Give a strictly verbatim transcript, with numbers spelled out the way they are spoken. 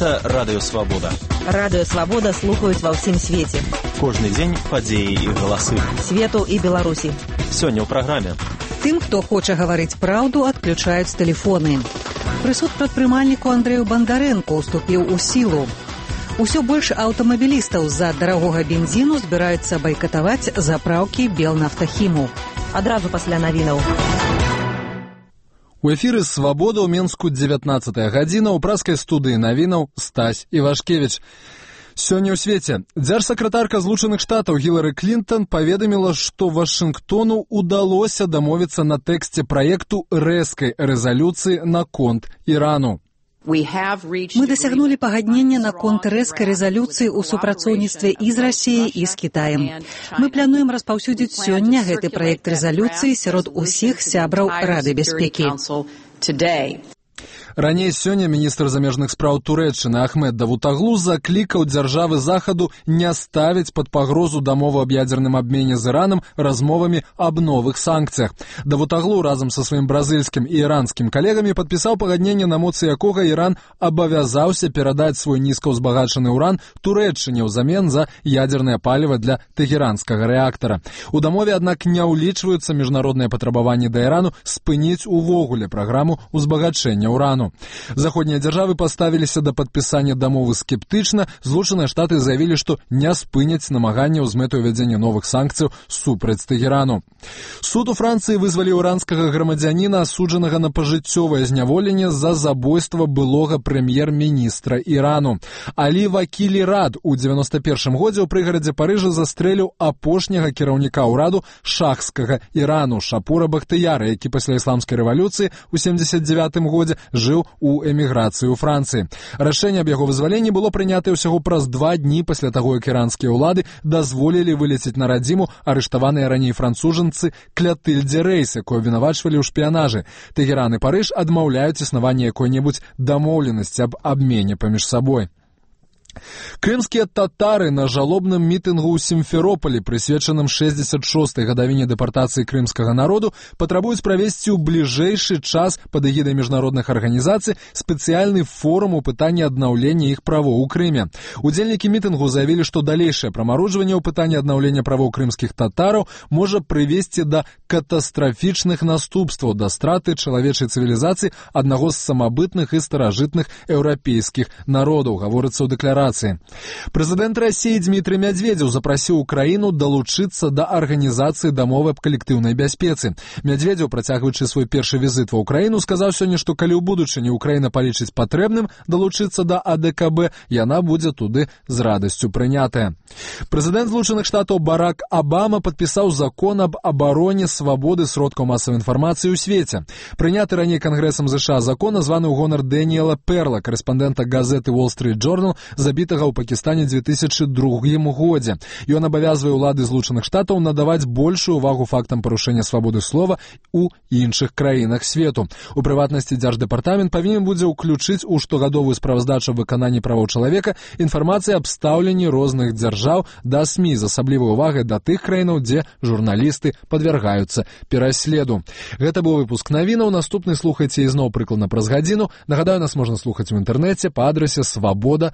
Гэта Радыё Свабода. Радыё Свабода слухаюць ва ўсім свеце. Кожны дзень падзеі і галасы. Свету і Беларусі. Сёння ў праграме. Тым, хто хоча гаварыць праўду, адключаюць тэлефоны. Прысуд прадпрымальніку Андрэю Бандарэнку уступіў у сілу. Усё больш аўтамабілістаў з-за дарагога бензіну збіраюцца байкатаваць запраўкі Белнафтахіму. Адразу пасля навінаў. У эфіры «Свабода» ў Менску дзевятнаццатая гадзіна, у праскай студыі навінаў Стась Івашкевіч. Сёння ў свеце дзяржсакратарка Злучаных Штатаў Гілары Клінтон паведаміла, што Вашынгтону ўдалося дамовіцца на тэксце праекту рэзкай рэзалюцыі наконт Ірану. Мы дасягнулі пагаднення наконт рэзкай рэзалюцыі ў супрацоўніцтве і з Расіяй, і з Кітаем. Мы плануем распаўсюдзіць сёння гэты праект рэзалюцыі сярод усіх сябраў Рады бяспекі. Раней сёння міністр замежных спраў Турэччыны Ахмед Давутаглу заклікаў дзяржавы Захаду не ставіць пад пагрозу дамову аб ядзерным абмене з Іранам размовамі аб новых санкцыях. Давутаглу разам са сваім бразыльскім і іранскім калегамі падпісаў пагадненне, на моцы якога Іран абавязаўся перадаць свой нізкаўзбагачаны ўран Турэччыне ўзамен за ядзернае паліва для тэхеранскага рэактара. У дамове, аднак, не ўлічваюцца міжнародныя патрабаванні да Ірану спыніць увогуле праграму ўзбагачэння ўрану. Заходнія дзяржавы паставіліся да падпісання дамовы скептычна. Злучаныя Штаты заявілі, што не спыняць намаганняў з мэтай увядзення новых санкцыяў супраць Тэхерану. Суд у Францыі вызваліў іранскага грамадзяніна, асуджанага на пажыццёвае зняволенне за забойства былога прэм'ер-міністра Ірану. Алі Вакілі Рад у дзевяноста першым годзе ў прыгарадзе Парыжа застрэліў апошняга кіраўніка ўраду шахскага Ірану Шапура Бахтыяра, які пасля ісламскай рэвалюцыі ў семдзесят дзевятым годзе жыў у эміграцыі ў Францыі. Рашэнне аб яго вызваленні было прынятае ўсяго праз два дні пасля таго, як іранскія ўлады дазволілі вылецець на радзіму арыштаваныя раней францужанцы Клятыльдзе Рэйс, якую абвінавачвалі ў шпіянажы. Тэхеран і Парыж адмаўляюць існаванне якой-небудзь дамоўленасці аб абмене паміж сабой. Крымскія татары на жалобным мітынгу ў Сімферополі, прысвечаным шэсцьдзесят шостай гадавіне дэпартацыі крымскага народу, патрабуюць правесці ў бліжэйшы час пад эгідай міжнародных арганізацый спецыяльны форум у пытанні аднаўлення іх правоў у Крыме. Удзельнікі мітынгу заявілі, што далейшае прамарожванне ў пытанні аднаўлення правоў крымскіх татараў можа прывесці да катастрафічных наступстваў, да страты чалавечай цывілізацыі аднаго з самабытных і старажытных еўрапейскіх народаў, гаворыцца ў дэкларацыі. Прэзідэнт Расіі Дмітрый Мядзведзеў запрасіў Украіну далучыцца да арганізацыі дамовы аб калектыўнай бяспецы. Мядзведзеў, працягваючы свой першы візіт ва Ўкраіну, сказаў сёння, што калі ў будучыні Украіна палічыць патрэбным далучыцца да А Дэ Ка Бэ, яна будзе туды з радасцю прынятая. Прэзідэнт Злучаных Штатаў Барак Абама падпісаў закон аб абароне свабоды сродкаў масавай інфармацыі ў свеце. Прыняты раней Кангрэсам ЗША закон названы ў гонар Дэніела Перла, карэспандэнта газеты Wall Street Journal, забітага ў Пакістане дзве тысячы другім годзе. Ён абавязвае ўлады Злучаных Штатаў надаваць большую ўвагу фактам парушэння свабоды слова ў іншых краінах свету. У прыватнасці дзярждэпартамент павінен будзе ўключыць у штогадовую справаздачу выканання правоў чалавека інфармацыі аб стаўленні розных дзяржаў да СМІ з асаблівай увагай да тых краінаў, дзе журналісты падвяргаюцца пераследу. Гэта быў выпуск навінаў. Наступны слухайце ізноў прыкладна праз гадзіну. Нагадаю, нас можна слухаць у інтэрнэце па адрасе свабода.